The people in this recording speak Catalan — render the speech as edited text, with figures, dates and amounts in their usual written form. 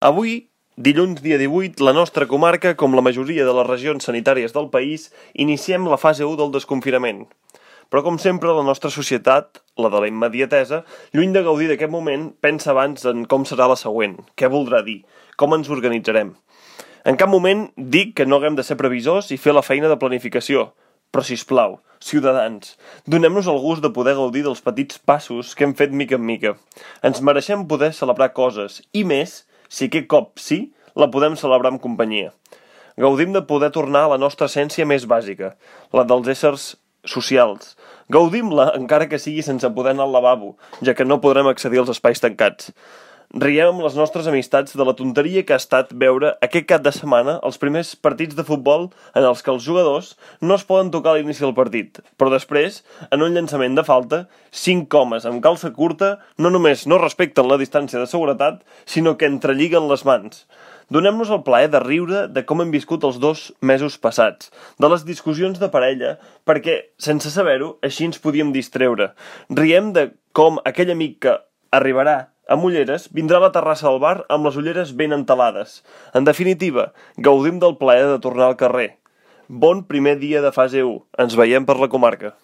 Avui, dilluns dia 18, la nostra comarca, com la majoria de les regions sanitàries del país, iniciem la fase 1 del desconfinament. Però com sempre, la nostra societat, la de la immediatesa, lluny de gaudir d'aquest moment, pensa abans en com serà la següent, què voldrà dir, com ens organitzarem. En cap moment dic que no haguem de ser previsors i fer la feina de planificació, però sisplau, ciutadans, donem-nos el gust de poder gaudir dels petits passos que hem fet mica en mica. Ens mereixem poder celebrar coses, i més, si aquest cop sí, la podem celebrar amb companyia. Gaudim de poder tornar a la nostra essència més bàsica, la dels éssers socials. Gaudim-la encara que sigui sense poder anar al lavabo, ja que no podrem accedir als espais tancats. Riem amb les nostres amistats de la tonteria que ha estat veure aquest cap de setmana els primers partits de futbol en els que els jugadors no es poden tocar a l'inici del partit, però després, en un llançament de falta, 5 homes amb calça curta no només no respecten la distància de seguretat, sinó que entrelliguen les mans. Donem-nos el plaer de riure de com hem viscut els 2 mesos passats, de les discussions de parella, perquè, sense saber-ho, així ens podíem distreure. Riem de com aquell amic que arribarà amb ulleres vindrà a la terrassa del bar amb les ulleres ben entelades. En definitiva, gaudim del plaer de tornar al carrer. Bon primer dia de fase 1. Ens veiem per la comarca.